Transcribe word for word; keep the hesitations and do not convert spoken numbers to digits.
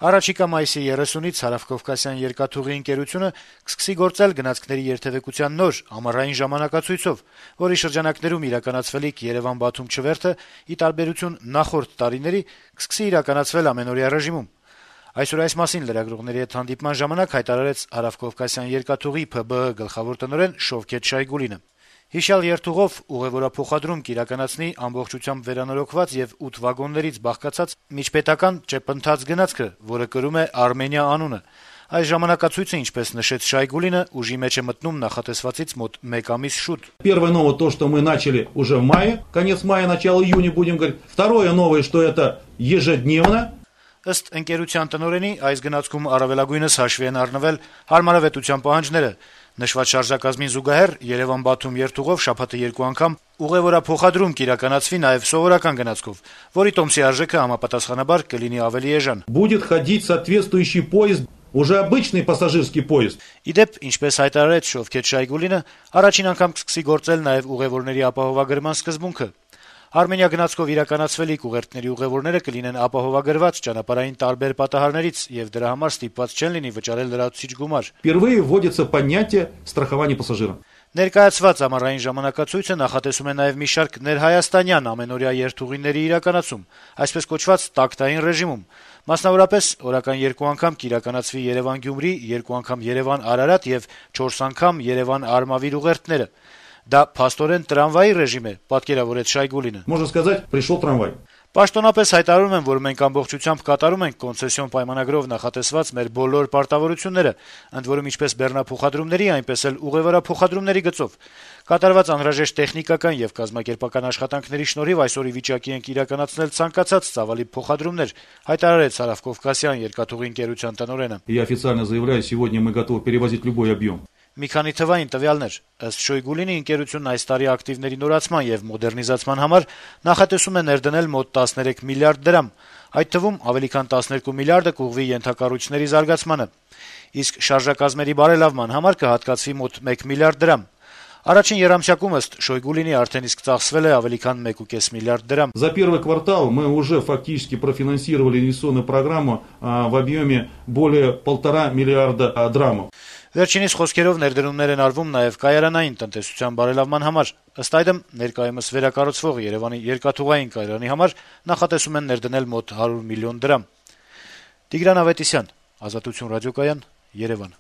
Առաջիկա մայիսի երեսունից Հարավկովկասյան երկաթուղի ընկերությունը կսկսի գործել գնացքների երթեւեկության նոր ամառային ժամանակացույցով, որի շրջանակներում իրականացվելիք Երեւան-Բաթում չվերթը, ի տարբերություն նախորդ տարիների, կսկսի իրականացվել ամենօրյա ռեժիմում։ Այսօր այս մասին լրագրողների հետ հանդիպման ժամանակ հայտարարեց Հարավկովկասյան երկաթուղի Փ B Ը գլխավոր տնօրեն Շովքեթ Շայգուլինը։ Հիշյալ երթուղով ուղեւորափոխադրում կիրականացնի ամբողջությամբ վերանորոգված եւ ութ վագոններից բաղկացած միջպետական ճեպընթաց գնացքը, որը կրում է Արմենիա անունը։ Այս ժամանակացույցը, ինչպես նշեց Շայգուլինը, ուժի մեջ է մտնում նախատեսվածից մոտ մեկ ամիս շուտ։ Первое новое то, что мы начали уже в мае, конец мая, начало июня будем говорить. Второе новое, что это ежедневно. Ըստ ընկերության տնօրենի, այս գնացքում առավելագույնս հաշվի են առնվել հարմարավետության պահանջները։ Նշված շարժակազմին զուգահեռ Երեւան-Բաթում երթուղով շաբաթը երկու անգամ ուղեւորափոխադրում կիրականացվի նաեւ սովորական գնացքով, որի տոմսի արժեքը համապատասխանաբար կլինի ավելի էժան։ Будет ходить соответствующий поезд, уже обычный пассажирский поезд. Իդեպ, ինչպես հայտարարեց Շովքեթ Շայգուլինը, առաջին անգամ կսկսի գործել նաեւ ուղեւորների ապահովագրման սկզբունքը։ Արմենիա գնացքով իրականացվելիք ուղերձների ուղևորները կլինեն ապահովագրված ճանապարհային տարբեր պատահարներից եւ դրա համար ստիպված չեն լինի վճարել լրացուցիչ գումար։ Впервые вводится понятие страхования пассажира. Ներկայացված ամառային ժամանակացույցը նախատեսում է նաեւ մի շարք ներհայաստանյան ամենօրյա երթուղիների իրականացում, այսպես կոչված տակտային ռեժիմում։ Մասնավորապես, օրական երկու անգամ կիրականացվի Երեւան-Գյումրի, երկու անգամ Երեւան-Արարատ եւ չորս անգամ Երեւան-Արմավիր ուղերձները։ Դա փաստորեն տրամվայի ռեժիմ է, պատկերավորեց Շայգուլինը։ Можно сказать, пришел трамвай. Պաշտոնապես հայտարարում են, որ մենք ամբողջությամբ կատարում ենք կոնցեսիոն պայմանագրով նախատեսված մեր բոլոր պարտավորությունները, ընդ որում ինչպես բեռնափոխադրումների, այնպես էլ ուղևորափոխադրումների գծով։ Կատարված անհրաժեշտ տեխնիկական եւ կազմակերպական աշխատանքների շնորհիվ այսօր ի վիճակի ենք իրականացնել ցանկացած ծավալի փոխադրումներ, հայտարարեց Հարավկովկասյան երկաթուղի ընկերության տնօրենը։ Я официально заявляю, сегодня мы готовы перевозить любой объем. Մի քանի թվային տվյալներ։ Ըստ Շոյգուլինի, ընկերությունն այս տարի ակտիվների նորացման եւ մոդեռնիզացման համար նախատեսում է ներդնել մոտ տասներեք միլիարդ դրամ։ Այդ թվում ավելի քան տասներկու միլիարդը կուղղվի ենթակառույցների զարգացմանը։ Իսկ շարժակազմերի բարելավման համար կհատկացվի մոտ մեկ միլիարդ դրամ։ Առաջին երամսյակում ըստ Շոյգուլինի արդեն իսկ ծախսվել է ավելի քան մեկ կես միլիարդ դրամ։ За первый квартал мы уже фактически профинансировали инвестиционную программу в объеме более полтора миллиарда драмов. Վերջինիս խոսքերով ներդրումներ են արվում նաև կայարանային տնտեսության բարելավման համար։ Ըստ այդմ, ներկայումս վերակառուցվող Երևանի երկաթուղային կայարանի համար նախատեսում են ներդնել մոտ հարյուր միլիոն դրամ։ Տիգրան Ավետիսյան, Ազատություն ռադիոկայան, Երևան։